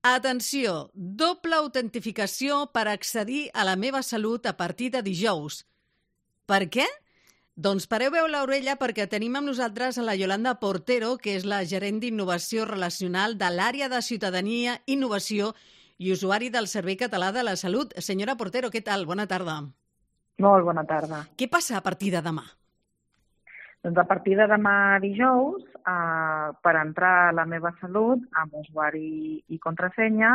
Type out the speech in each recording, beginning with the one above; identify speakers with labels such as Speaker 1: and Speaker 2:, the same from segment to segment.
Speaker 1: Atenció, doble autentificació per accedir a La meva salut a partir de dijous. Per què? Doncs pareu l'orella perquè tenim amb nosaltres a la Yolanda Portero, que és la gerent d'innovació relacional de l'àrea de ciutadania, innovació i usuari del Servei Català de la Salut. Senyora Portero, què tal? Bona tarda.
Speaker 2: Molt bona tarda.
Speaker 1: Què passa a partir de demà?
Speaker 2: Doncs a partir de demà dijous, per entrar a La meva salut, amb usuari i contrasenya,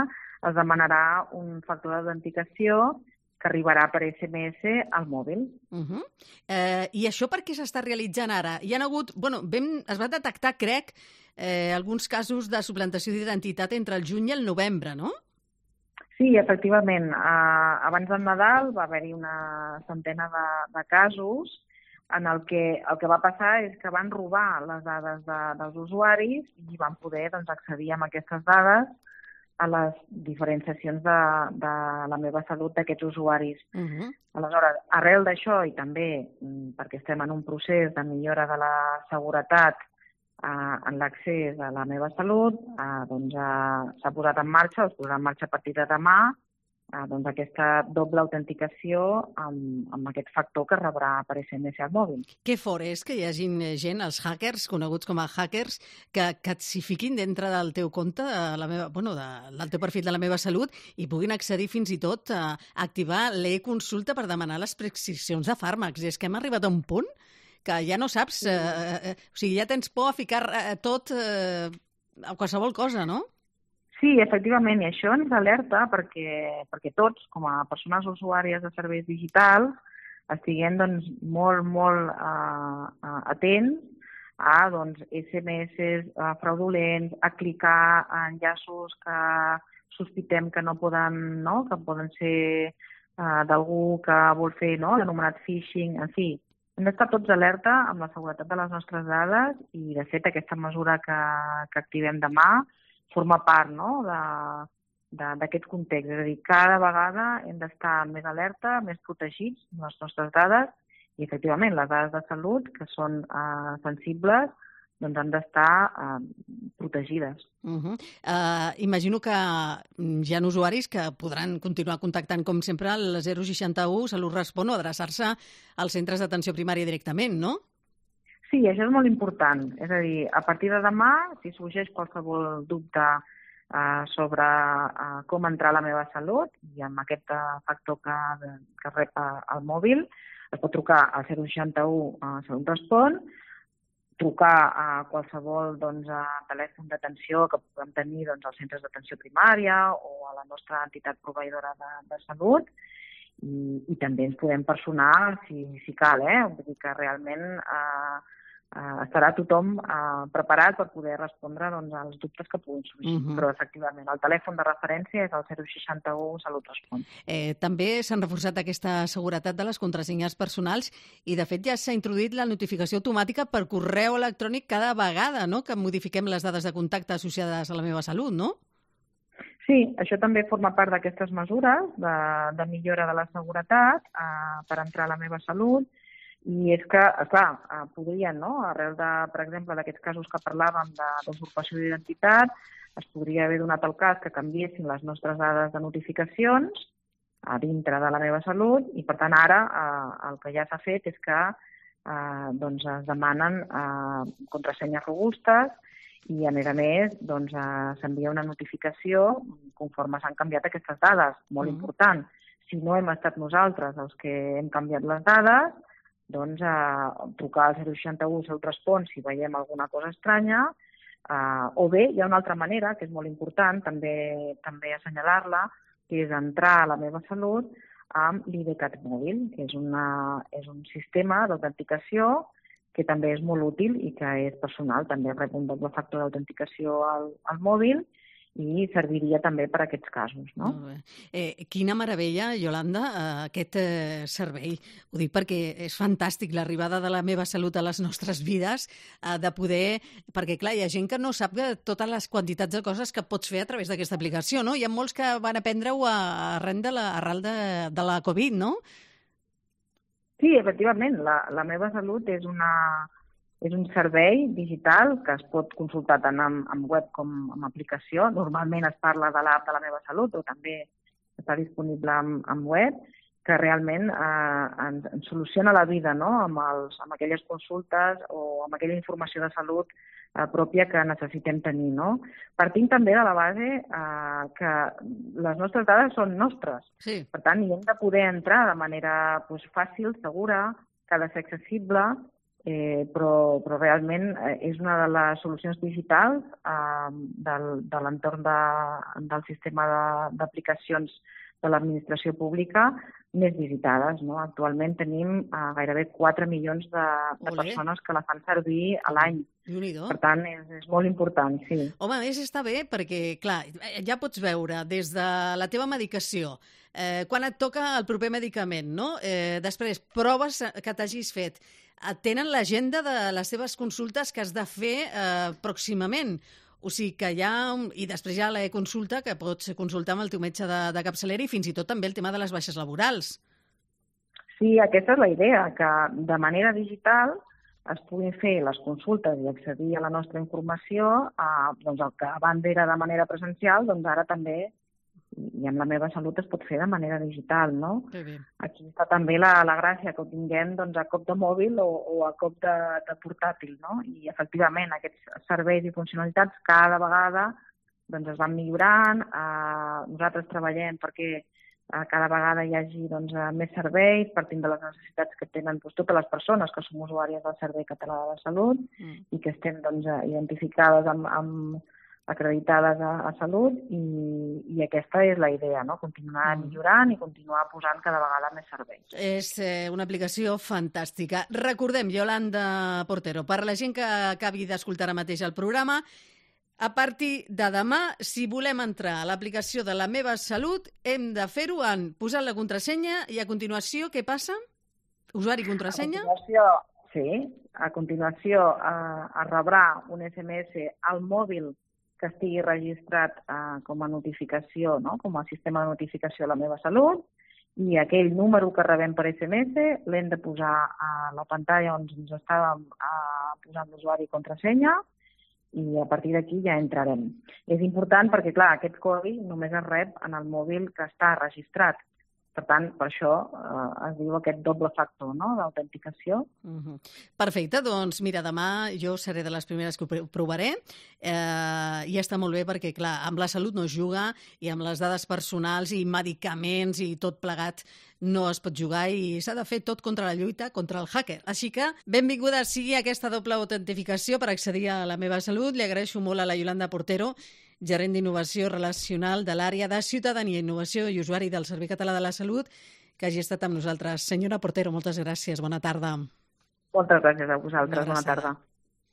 Speaker 2: es demanarà un factor d'autenticació que arribarà per SMS al mòbil.
Speaker 1: I això per què s'està realitzant ara? Hi ha hagut, es va detectar, crec, alguns casos de suplantació d'identitat entre el juny i el novembre, no?
Speaker 2: Sí, efectivament. Abans del Nadal va haver-hi una centena de casos en el que va passar és que van robar les dades dels usuaris i van poder accedir a aquestes dades a les diferents sessions de La meva salut d'aquests usuaris. Aleshores, arrel d'això i també perquè estem en un procés de millora de la seguretat en l'accés a La meva salut, s'ha posat en marxa, es posarà en marxa a partir de demà, aquesta doble autenticació amb aquest factor que rebrà per SMS al mòbil.
Speaker 1: Que fort és que hi hagi gent, els hackers, coneguts com a hackers, que s'hi fiquin dintre del teu compte, del teu perfil de La meva salut, i puguin accedir fins i tot a activar l'e-consulta per demanar les prescripcions de fàrmacs. És que hem arribat a un punt que ja no saps, ja tens por a ficar tot a qualsevol cosa, no?
Speaker 2: Sí, efectivament, i això ens alerta perquè tots, com a persones usuàries de serveis digitals, estiguem molt atents a SMS fraudulents, a clicar en enllaços que sospitem que que poden ser d'algú que vol fer l'anomenat phishing, en fi. Hem d'estar tots alerta amb la seguretat de les nostres dades i, de fet, aquesta mesura que activem demà forma part d'aquest context. És a dir, cada vegada hem d'estar més alerta, més protegits amb les nostres dades i, efectivament, les dades de salut, que són sensibles, han d'estar protegides.
Speaker 1: Imagino que hi ha usuaris que podran continuar contactant, com sempre, al 061 Salut Respon o adreçar-se als centres d'atenció primària directament, no?
Speaker 2: Sí, això és molt important. És a dir, a partir de demà, si sorgeix qualsevol dubte sobre com entrar a La meva salut i amb aquest factor que rep al mòbil, es pot trucar al 061 Salut Respon, trucar a qualsevol telèfon d'atenció que puguem tenir als centres d'atenció primària o a la nostra entitat proveïdora de salut i també ens podem personar si cal. Vull dir que realment estarà tothom preparat per poder respondre als dubtes que puguin sorgir. Però, efectivament, el telèfon de referència és el 061 Salut Respon.
Speaker 1: També s'han reforçat aquesta seguretat de les contrasenyes personals i, de fet, ja s'ha introduït la notificació automàtica per correu electrònic cada vegada que modifiquem les dades de contacte associades a La meva salut, no?
Speaker 2: Sí, això també forma part d'aquestes mesures de millora de la seguretat per entrar a La meva salut. I és que, clar, podrien, arrel per exemple, d'aquests casos que parlàvem d'usurpació d'identitat, es podria haver donat el cas que canviessin les nostres dades de notificacions a dintre de La meva salut i, per tant, ara el que ja s'ha fet és que es demanen contrasenyes robustes i, a més, s'envia una notificació conforme s'han canviat aquestes dades. Molt important. Si no hem estat nosaltres els que hem canviat les dades, trucar al 061 Salut Respon si veiem alguna cosa estranya, o bé hi ha una altra manera, que és molt important també assenyalar-la, que és entrar a La meva salut amb l'IDCAT mòbil, que és un sistema d'autenticació que també és molt útil i que és personal, també rep un doble factor d'autenticació al mòbil i serviria també per a aquests casos, no?
Speaker 1: Molt bé. Quina meravella, Yolanda, aquest servei. Ho dic perquè és fantàstic l'arribada de La meva salut a les nostres vides, de poder... Perquè, clar, hi ha gent que no sap totes les quantitats de coses que pots fer a través d'aquesta aplicació, no? Hi ha molts que van aprendre-ho arran de la Covid, no?
Speaker 2: Sí, efectivament. La meva salut és És un servei digital que es pot consultar tant en web com en aplicació. Normalment es parla de l'app de La meva salut, però també està disponible en web, que realment ens soluciona la vida, no?, amb aquelles consultes o amb aquella informació de salut pròpia que necessitem tenir, no? Partint també de la base que les nostres dades són nostres.
Speaker 1: Sí.
Speaker 2: Per tant, hi hem de poder entrar de manera fàcil, segura, que ha de ser accessible, però realment és una de les solucions digitals de l'entorn del sistema d'aplicacions de l'administració pública més visitades, no? Actualment tenim gairebé 4 milions de persones que la fan servir a l'any. Per tant, és molt important, sí.
Speaker 1: Home, a més està bé perquè, clar, ja pots veure des de la teva medicació, quan et toca el proper medicament, no? Després, proves que t'hagis fet. Tenen l'agenda de les teves consultes que has de fer pròximament. O sigui que hi ha... I després hi ha l'e-consulta, que pots consultar amb el teu metge de capçalera, i fins i tot també el tema de les baixes laborals.
Speaker 2: Sí, aquesta és la idea, que de manera digital es puguin fer les consultes i accedir a la nostra informació, doncs el que abans era de manera presencial, doncs ara també, i amb La meva salut es pot fer de manera digital, no? Aquí està també la gràcia, que ho tinguem doncs, a cop de mòbil o a cop de portàtil, no? I efectivament aquests serveis i funcionalitats cada vegada doncs, es van millorant. Nosaltres treballem perquè cada vegada hi hagi més serveis, partint de les necessitats que tenen totes les persones que som usuàries del Servei Català de la Salut i que estem identificades acreditades a Salut, i aquesta és la idea, no? Continuar millorant i continuar posant cada vegada més serveis.
Speaker 1: És una aplicació fantàstica. Recordem, Yolanda Portero, per la gent que acabi d'escoltar ara mateix el programa, a partir de demà, si volem entrar a l'aplicació de La meva salut, hem de fer-ho posant la contrasenya i a continuació, què passa? Usuari i contrasenya?
Speaker 2: A continuació es rebrà un SMS al mòbil que estigui registrat com a notificació, no? Com a sistema de notificació a La meva salut, i aquell número que rebem per SMS l'hem de posar a la pantalla on ens estàvem posant l'usuari i contrasenya, i a partir d'aquí ja entrarem. És important perquè, clar, aquest codi només es rep en el mòbil que està registrat. Per tant, per això es diu aquest doble factor, no?, d'autenticació.
Speaker 1: Perfecte, doncs mira, demà jo seré de les primeres que ho provaré, i està molt bé perquè, clar, amb la salut no es juga, i amb les dades personals i medicaments i tot plegat no es pot jugar, i s'ha de fer tot contra la lluita contra el hacker. Així que benvinguda sigui aquesta doble autentificació per accedir a La meva salut. Li agraeixo molt a la Yolanda Portero, gerent d'innovació relacional de l'àrea de Ciutadania, Innovació i Usuari del Servei Català de la Salut, que hagi estat amb nosaltres. Senyora Portero, moltes gràcies. Bona tarda.
Speaker 2: Moltes gràcies a vosaltres. Bona tarda.